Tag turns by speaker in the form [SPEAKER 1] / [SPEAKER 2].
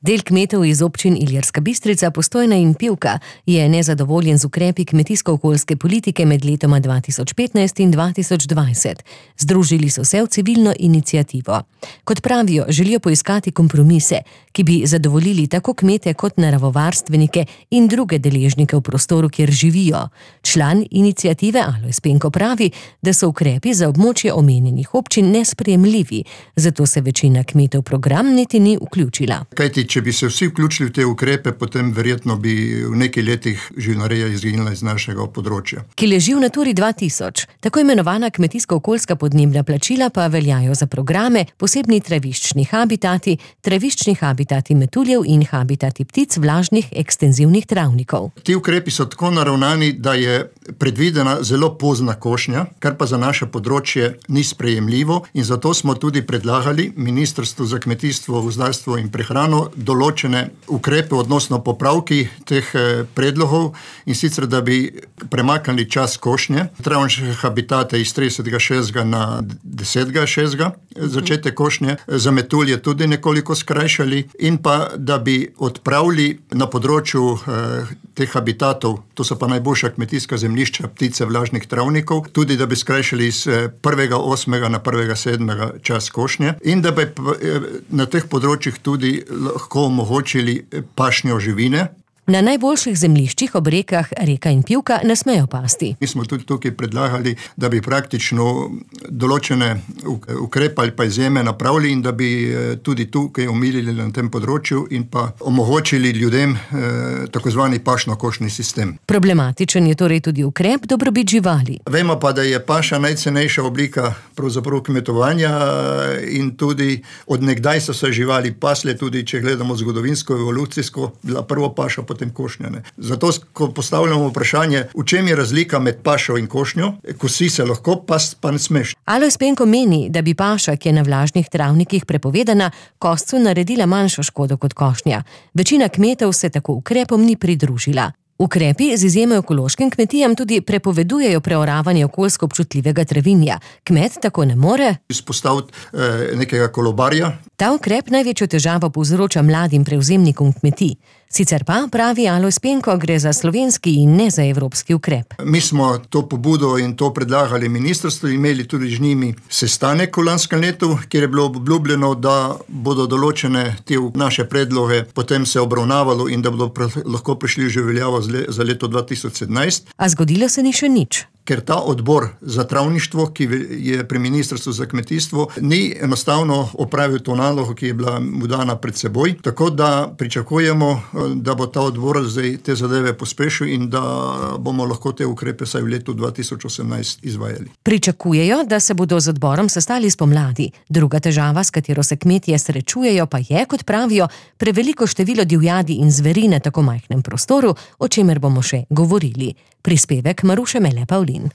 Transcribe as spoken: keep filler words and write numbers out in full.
[SPEAKER 1] Del kmetov iz občin Ilirska Bistrica, Postojna in Pivka je nezadovoljen z ukrepi kmetijsko-okoljske politike med letoma dva tisoč petnajst in dva tisoč dvajset. Združili so se v civilno iniciativo. Kot pravijo, želijo poiskati kompromise, ki bi zadovoljili tako kmete kot naravovarstvenike in druge deležnike v prostoru, kjer živijo. Član iniciative Alojz Penko pravi, da so ukrepi za območje omenjenih občin nesprejemljivi, zato se večina kmetov v program niti ni vključila.
[SPEAKER 2] Kajti, če bi se vsi vključili v te ukrepe, potem verjetno bi v nekaj letih živinoreja izginila iz našega področja.
[SPEAKER 1] Ki leži v Naturi dva tisoč. Tako imenovana kmetijsko-okoljska podnebna plačila pa veljajo za programe, posebni traviščni habitati, traviščni habitati metuljev in habitati ptic vlažnih ekstenzivnih travnikov.
[SPEAKER 2] Ti ukrepi so tako naravnani, da je predvidena zelo pozna košnja, kar pa za naše področje ni sprejemljivo, in zato smo tudi predlagali Ministrstvu za kmetijstvo, gozdarstvo in prehrano določene ukrepe odnosno popravki teh predlogov, in sicer, da bi premaknili čas košnje, travniške habitate iz tridesetega šestega na desetega šestega začetek košnje, za metulje tudi nekoliko skrajšali, in pa, da bi odpravili na področju eh, teh habitatov, to so pa najboljša kmetijska zemljišča, ptice vlažnih travnikov, tudi da bi skrajšali iz prvega osmega na prvega sedmega čas košnje, in da bi na teh področjih tudi lahko omogočili pašnjo živine.
[SPEAKER 1] Na najboljših zemljiščih ob rekah Reka in Pivka ne smejo pasti.
[SPEAKER 2] Mi smo tudi tukaj predlagali, da bi praktično določene ukrepe ali pa izjeme napravili in da bi tudi tukaj omilili na tem področju in pa omogočili ljudem eh, tako zvani pašno-košni sistem.
[SPEAKER 1] Problematičen je torej tudi ukrep dobrobit živali.
[SPEAKER 2] Vemo pa, da je paša najcenejša oblika pravzaprav kmetovanja in tudi od nekdaj so se živali pasle, tudi če gledamo zgodovinsko, evolucijsko, bila prvo paša, potem košnjane. Zato, ko postavljamo vprašanje, v čem je razlika med pašo in košnjo, kosi se lahko, past pa ne smeš.
[SPEAKER 1] Alojz Penko meni, da bi paša, ki je na vlažnih travnikih prepovedana, koscu naredila manjšo škodo kot košnja. Večina kmetov se tako ukrepom ni pridružila. Ukrepi z izjemo ekološkim kmetijam tudi prepovedujejo preoravanje okoljsko občutljivega travinja. Kmet tako ne more
[SPEAKER 2] izpostaviti eh, nekega kolobarja.
[SPEAKER 1] Ta ukrep največjo težavo povzroča mladim prevzemnikom kmetij. Sicer pa, pravi Alojz Penko, gre za slovenski in ne za evropski ukrep.
[SPEAKER 2] Mi smo to pobudo in to predlagali ministrstvu, imeli tudi z njimi sestanek v lanskem letu, kjer je bilo obljubljeno, da bodo določene te naše predloge potem se obravnavalo in da bodo lahko prišli že veljavo za leto dva tisoč sedemnajst.
[SPEAKER 1] A zgodilo se ni še nič.
[SPEAKER 2] Ker ta odbor za travništvo, ki je pri Ministrstvu za kmetijstvo, ni enostavno opravil to nalogo, ki je bila mu dana pred seboj, tako da pričakujemo, da bo ta odbor zdaj te zadeve pospešil in da bomo lahko te ukrepe saj v letu dva tisoč osemnajst izvajali.
[SPEAKER 1] Pričakujejo, da se bodo z odborom sestali spomladi. Druga težava, s katero se kmetje srečujejo, pa je, kot pravijo, preveliko število divjadi in zveri na tako majhnem prostoru, o čemer bomo še govorili. Prispevek Maruše Mele Pavlin.